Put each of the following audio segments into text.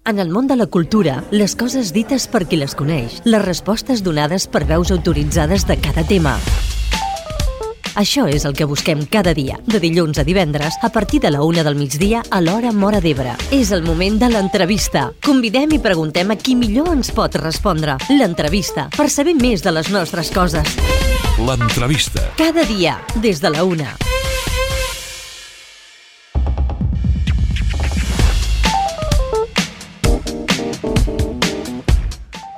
En el món de la cultura, les coses dites per qui les coneix, les respostes donades per veus autoritzades de cada tema. Això és el que busquem cada dia, de dilluns a divendres, a partir de la 1 del migdia a l'hora Móra d'Ebre. És el moment de l'entrevista. Convidem i preguntem a qui millor ens pot respondre. L'entrevista, per saber més de les nostres coses. L'entrevista. Cada dia, des de la 1.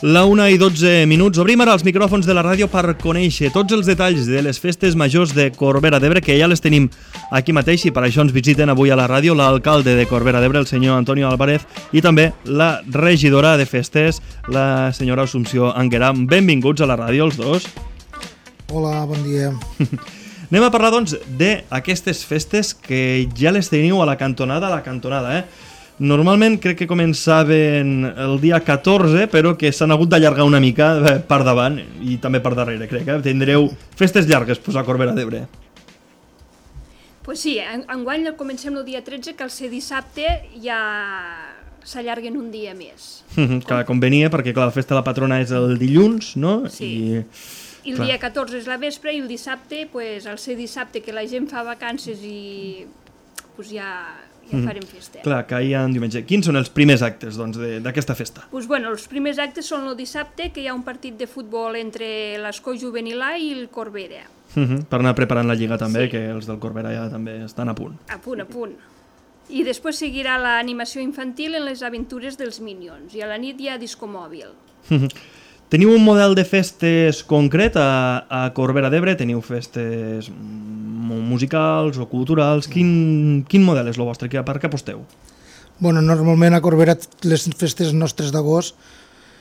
La 1:12. Obrim ara els micròfons de la ràdio per conèixer tots els detalls de les festes majors de Corbera d'Ebre, que ja les tenim aquí mateix, i per això ens visiten avui a la ràdio l'alcalde de Corbera d'Ebre, el senyor Antonio Álvarez, i també la regidora de festes, la senyora Assumpció Angueram. Benvinguts a la ràdio, els dos. Hola, bon dia. Anem a parlar, doncs, d'aquestes festes que ja les teniu a la cantonada, Normalment crec que començaven el dia 14, però que s'han hagut d'allargar una mica per davant i també per darrere, crec. Tindreu festes llargues a Corbera d'Ebre. Pues sí, enguany comencem el dia 13, que al ser dissabte ja s'allarguen un dia més. Clar, convenia, perquè clar, la festa de la patrona és el dilluns, no? Sí. I el dia 14 és la vespre, i el dissabte, pues, al ser dissabte que la gent fa vacances i pues, ja farem festa. Clar, caia en diumenge. Quins són els primers actes, doncs, d'aquesta festa? Pues, bueno, els primers actes són el dissabte, que hi ha un partit de futbol entre l'Escó Juvenil A i el Corbera. Per anar preparant la lliga també, Sí. que els del Corbera ja també estan a punt. A punt. I després seguirà l'animació infantil en les aventures dels Minions, i a la nit hi ha disco mòbil. Teniu un model de festes concret a Corbera d'Ebre? Teniu festes musicals o culturals? Quin model és el vostre? Per què aposteu? Bueno, normalment a Corbera les festes nostres d'agost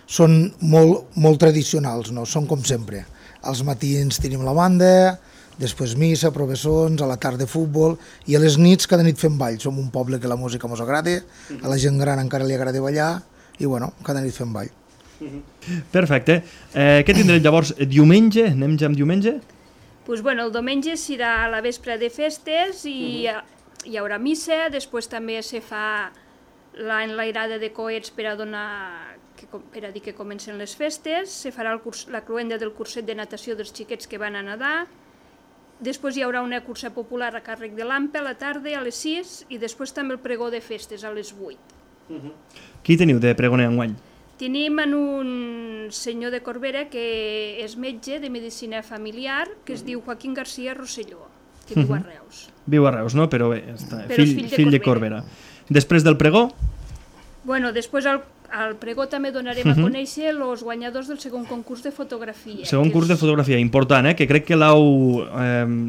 són molt tradicionals, no? Són com sempre. Als matins tenim la banda, després missa, professons, a la tarda futbol, i a les nits cada nit fem ball. Som un poble que la música mos agrada, a la gent gran encara li agrada ballar, i bueno, cada nit fem ball. Perfecte. Què tindrem llavors diumenge? Anem ja amb diumenge? Pues bueno, el diumenge serà a la vespre de festes i hi haurà missa, després també se fa l'enlairada de coets per a dir que comencen les festes, se farà la cloenda del curset de natació dels xiquets que van a nedar, després hi haurà una cursa popular a càrrec de l'AMPE a la tarda a les 6 i després també el pregó de festes a les 8. Qui teniu de pregoner enguany? Tenim en un senyor de Corbera que és metge de medicina familiar, que es diu Joaquín García Rosselló, que viu a Reus. Viu a Reus, no? Però bé, està, Però és fill de Corbera. Després del pregó? Bueno, després al pregó també donarem a conèixer els guanyadors del segon concurs de fotografia. Segon curs de fotografia, important, que crec que l'heu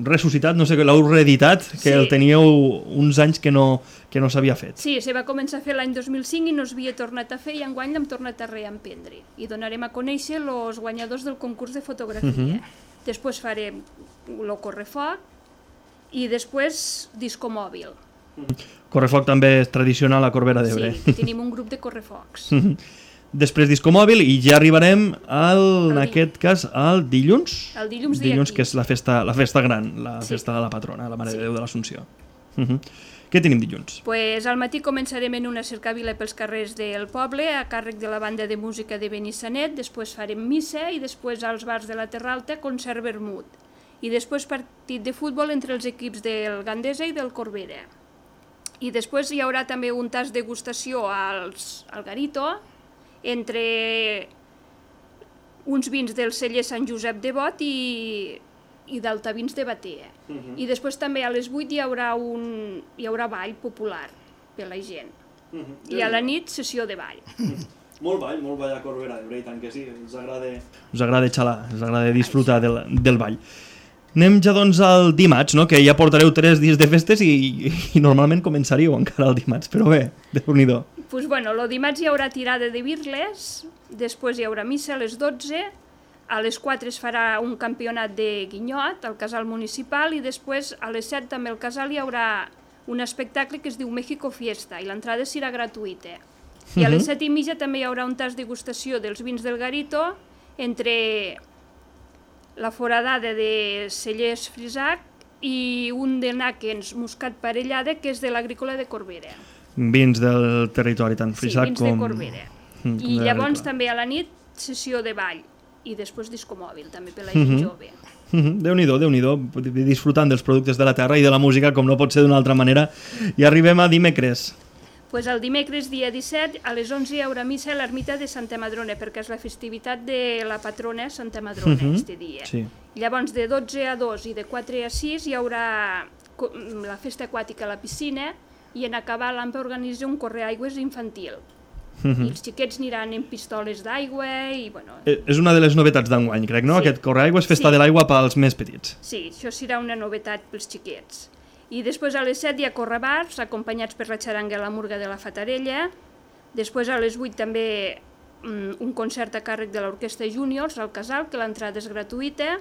ressuscitat, no sé, que l'heu reeditat, que el teníeu uns anys que no s'havia fet. Sí, se va començar a fer l'any 2005 i no s'havia tornat a fer, i enguany l'hem tornat a reemprendre. I donarem a conèixer els guanyadors del concurs de fotografia. Després farem el correfoc i després disco mòbil. Correfoc també és tradicional a Corbera d'Ebre. Sí, tenim un grup de correfocs. Després disco mòbil i ja arribarem en aquest cas al dilluns. El dilluns dia 15. Dilluns, que és la festa gran, la festa de la patrona, la Mare de Déu de l'Assumpció. Què tenim dilluns? Pues al matí començarem en una cercavila pels carrers del poble a càrrec de la banda de música de Benissanet, després farem missa i després als bars de la Terra Alta concert vermut. I després partit de futbol entre els equips del Gandesa i del Corbera. I després hi haurà també un tast de degustació al Garito entre uns vins del celler Sant Josep de Bot i d'Altavins de Batea. I després també a les 8 hi haurà ball popular per la gent. I a la nit sessió de ball. Molt ball a Corbera d'Ebre, i tant que sí, us agrada xalar, us agrada disfrutar del ball. Anem ja doncs al dimarts, no? Que ja portareu 3 dies de festes i normalment començaríeu encara el dimarts, però bé, Déu-n'hi-do. Pues bueno, el dimarts hi haurà tirada de birles, després hi haurà missa a les 12, a les 4 es farà un campionat de guinyot al casal municipal i després a les 7 també al casal hi haurà un espectacle que es diu México Fiesta i l'entrada serà gratuïta. I a les 7:30 també hi haurà un tast de degustació dels vins del Garito entre la foradada de Cellers Frisac i un de Nàquens Muscat Parellada, que és de l'Agrícola de Corbera. vins del territori, tant Freixac vins de com... Corbera. I llavors també a la nit sessió de ball i després disco mòbil, també per la gent jove. Déu-n'hi-do, disfrutant dels productes de la terra i de la música com no pot ser d'una altra manera. I arribem a dimecres. Pues el dimecres, dia 17, a les 11 hi haurà missa a l'ermita de Santa Madrona, perquè és la festivitat de la patrona Santa Madrona, aquest dia. Sí. Llavors, de 12 a 2 i de 4 a 6 hi haurà la festa aquàtica a la piscina i en acabar l'AMPA organitza un correaigües infantil. I els xiquets aniran en pistoles d'aigua i, bueno... És una de les novetats d'enguany, crec, no? Sí. Aquest correaigües, festa de l'aigua pels més petits. Sí, això serà una novetat pels xiquets. I després a les 7 hi ha correbars, acompanyats per la xaranga i la murga de la Fatarella. Després a les 8 també un concert a càrrec de l'Orquestra Júniors al Casal, que l'entrada és gratuïta.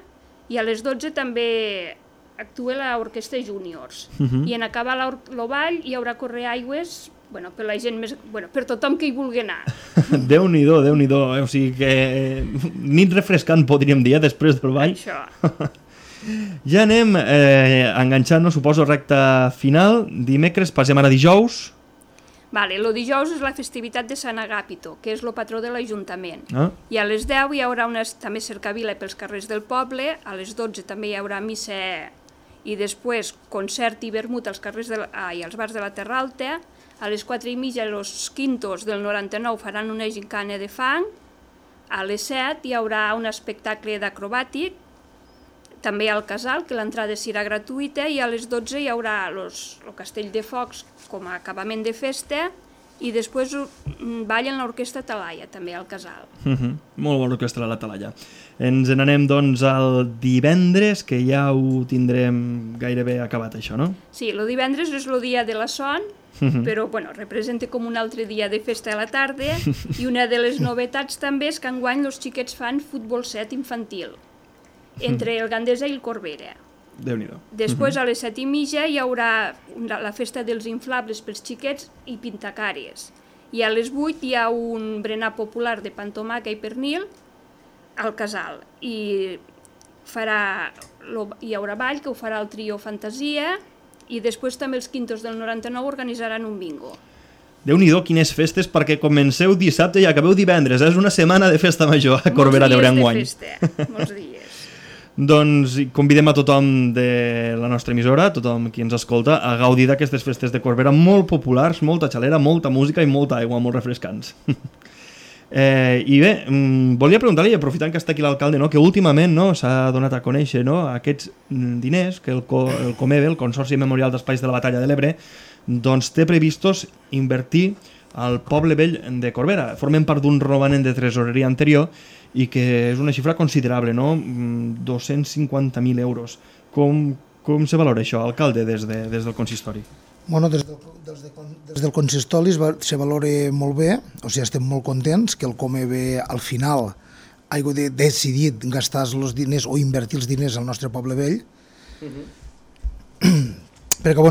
I a les 12 també actua l'Orquestra Júniors. I en acabar el ball hi haurà correaigües per la gent més... per tothom que hi vulgui anar. Déu-n'hi-do. O sigui que nit refrescant, podríem dir, després del ball. Això. Ja anem enganxant-nos, suposo, recta final. Dimecres, passem ara dijous. Vale, el dijous és la festivitat de Sant Agàpito, que és el patró de l'Ajuntament. I a les 10 hi haurà també cercavila pels carrers del poble, a les 12 també hi haurà missa i després concert i vermut als carrers i als bars de la Terra Alta. A les 4:30 els quintos del 99 faran una gincana de fang. A les 7 hi haurà un espectacle d'acrobàtic, també al Casal, que l'entrada serà gratuïta, i a les 12 hi haurà el castell de focs com a acabament de festa i després ballen l'orquestra Talaia, també al Casal. Molt bona orquestra la Talaia. Ens n'anem, doncs, al divendres, que ja ho tindrem gairebé acabat, això, no? Sí, el divendres és el dia de la son, però representa com un altre dia de festa a la tarda, i una de les novetats també és que enguany els xiquets fan futbol 7 infantil, entre el Gandesa i el Corbera. Déu-n'hi-do. Després, a les 7:30, hi haurà la festa dels inflables pels xiquets i pintacares. I a les 8 hi ha un berenar popular de pantomaca i pernil al Casal. I hi haurà ball, que ho farà el trio Fantasia, i després també els quintos del 99 organitzaran un bingo. Déu-n'hi-do, quines festes, perquè comenceu dissabte i acabeu divendres. És una setmana de festa major a Corbera d'Ebre enguany. Molts dies de festa, molts dies. Doncs convidem a tothom de la nostra emissora, tothom qui ens escolta, a gaudir d'aquestes festes de Corbera molt populars, molta xalera, molta música i molta aigua, molt refrescants. I bé, volia preguntar-li, aprofitant que està aquí l'alcalde, que últimament s'ha donat a conèixer aquests diners que el Comebe, el Consorci Memorial d'Espais de la Batalla de l'Ebre, doncs té previstos invertir al poble vell de Corbera. Formen part d'un romanent de tresoreria anterior i que és una xifra considerable, 250.000 euros. Com se valora això, alcalde, des del consistori? Bueno, des del consistori se valora molt bé, o sigui, estem molt contents que el Comebe al final hagi decidit gastar els diners o invertir els diners al nostre poble vell, perquè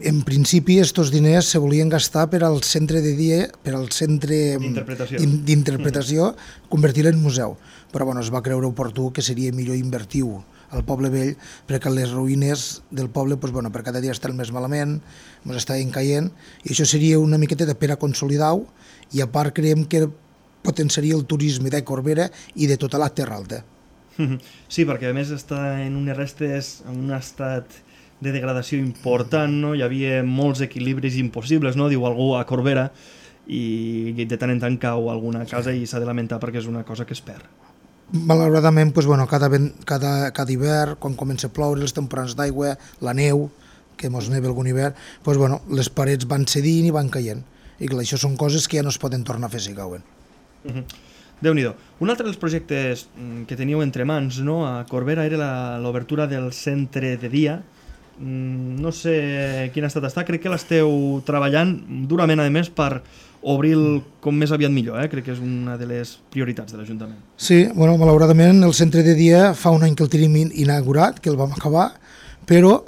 en principi aquests diners se volien gastar per al centre de dia, per al centre d'interpretació, convertir en museu, però es va creure oportú que seria millor invertir-ho al poble vell, perquè les ruïnes del poble per cada dia estan més malament, ens estaven caient, i això seria una miqueta per a consolidar-ho, i a part creiem que potenciaria el turisme de Corbera i de tota la Terra Alta. Sí, perquè a més està en unes restes, en un estat de degradació important, hi havia molts equilibris impossibles, diu algú a Corbera, i de tant en tant cau alguna casa i s'ha de lamentar perquè és una cosa que es perd. Malauradament, cada hivern, quan comença a ploure, les temporades d'aigua, la neu, que mos neva algun hivern, les parets van cedint i van caient. I clar, això són coses que ja no es poden tornar a fer si cauen. Déu-n'hi-do. Un altre dels projectes que teníeu entre mans a Corbera era l'obertura del centre de dia. No sé quin estat està, crec que l'esteu treballant durament, a més, per obrir com més aviat millor, crec que és una de les prioritats de l'Ajuntament. Sí, malauradament el centre de dia fa un any que el tenim inaugurat, que el vam acabar, però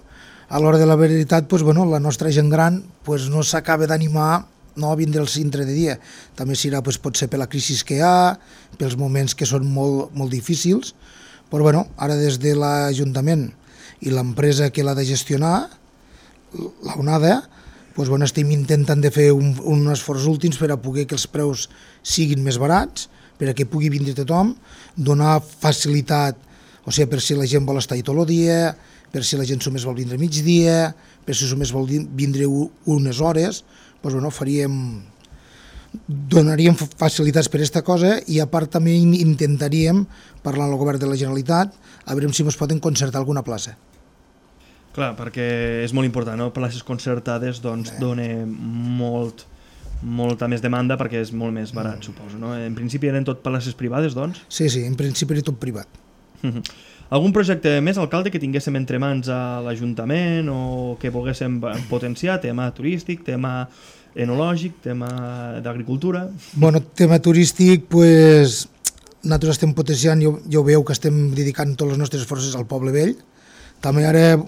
a l'hora de la veritat la nostra gent gran no s'acaba d'animar a vindre al centre de dia. També serà potser per la crisi que hi ha, pels moments que són molt difícils, però ara des de l'Ajuntament i l'empresa que l'ha de gestionar, l'ONADA, estem intentant de fer un esforç últims per a poder que els preus siguin més barats, per a que pugui vindre tothom, donar facilitat, o sigui, per si la gent vol estar tot el dia, per si la gent només vol vindre migdia, per si només vol vindre unes hores, donaríem facilitats per aquesta cosa i a part també intentaríem, parlant amb el govern de la Generalitat, a veure si ens poden concertar alguna plaça. Clar, perquè és molt important, no? Places concertades doncs dona molta més demanda perquè és molt més barat, suposo, no? En principi eren tot places privades, doncs? Sí, en principi era tot privat. Algun projecte més, alcalde, que tinguéssim entre mans a l'Ajuntament o que volguéssim potenciar, tema turístic, tema enològic, tema d'agricultura? Bueno, tema turístic, pues, nosaltres estem potenciant, ja ho veieu que estem dedicant totes les nostres forces al Poble Vell. També ara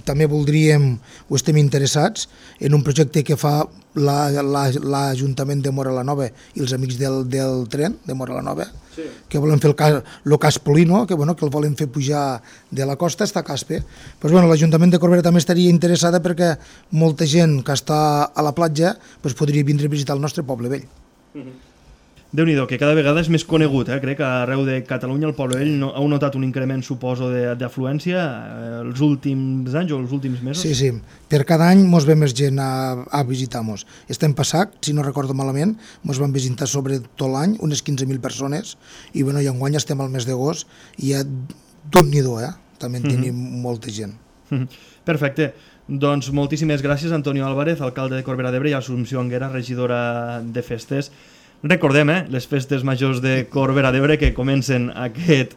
també voldríem, o estem interessats, en un projecte que fa l'Ajuntament de Móra la Nova i els amics del tren de Móra la Nova, que volen fer el cas Polino, que el volen fer pujar de la costa fins a Caspe. L'Ajuntament de Corbera també estaria interessada perquè molta gent que està a la platja podria vindre a visitar el nostre Poble Vell. Déu-n'hi-do, que cada vegada és més conegut, crec que arreu de Catalunya el Poble Vell heu notat un increment, suposo, d'afluència els últims anys o els últims mesos? Sí, per cada any ens ve més gent a visitar-nos. Estem passat, si no recordo malament, ens van visitar sobre tot l'any unes 15.000 persones i enguany estem al mes d'agost i ja Déu-n'hi-do, també en tenim molta gent. Perfecte. Doncs moltíssimes gràcies, Antonio Álvarez, alcalde de Corbera d'Ebre, i Assumpció Anguera, regidora de Festes. Recordem, les festes majors de Corbera d'Ebre que comencen aquest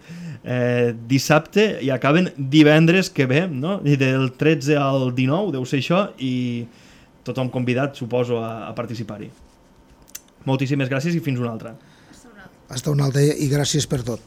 dissabte i acaben divendres que ve, no? I del 13 al 19, deu ser això, i tothom convidat, suposo, a participar-hi. Moltíssimes gràcies i fins una altra. Hasta una altra i gràcies per tot.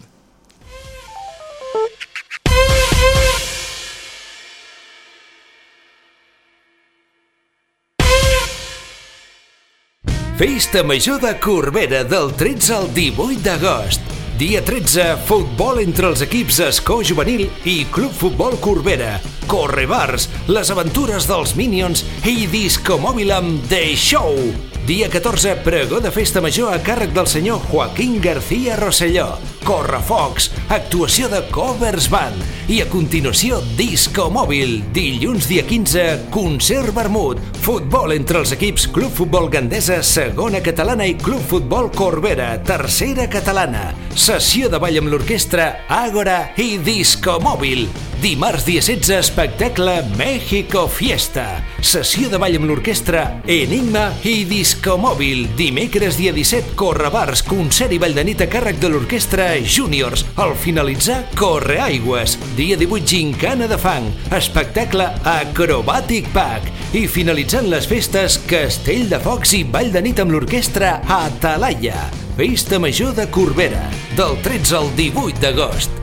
Festa Major de Corbera del 13 al 18 d'agost. Dia 13, futbol entre els equips Escó Juvenil i Club Futbol Corbera. Correbars, les aventures dels Minions i disco mòbil amb The Show. Dia 14, pregó de festa major a càrrec del senyor Joaquín García Rosselló. Correfocs, actuació de Covers Band. I a continuació, disco mòbil. Dilluns dia 15, concert vermut. Futbol entre els equips Club Futbol Gandesa, segona catalana, i Club Futbol Corbera, tercera catalana. Sessió de ball amb l'orquestra Ágora i disco mòbil. Dimarts dia 16, espectacle México Fiesta. Sessió de ball amb l'orquestra Enigma i disco mòbil. Dimecres dia 17, Correbars, concert i ball de nit a càrrec de l'orquestra Júniors. Al finalitzar, Correaigües. Dia 18, gincana de fang. Espectacle Acrobatic Pack. I finalitzant les festes, castell de focs i ball de nit amb l'orquestra Atalaya. Festa Major de Corbera, del 13 al 18 d'agost.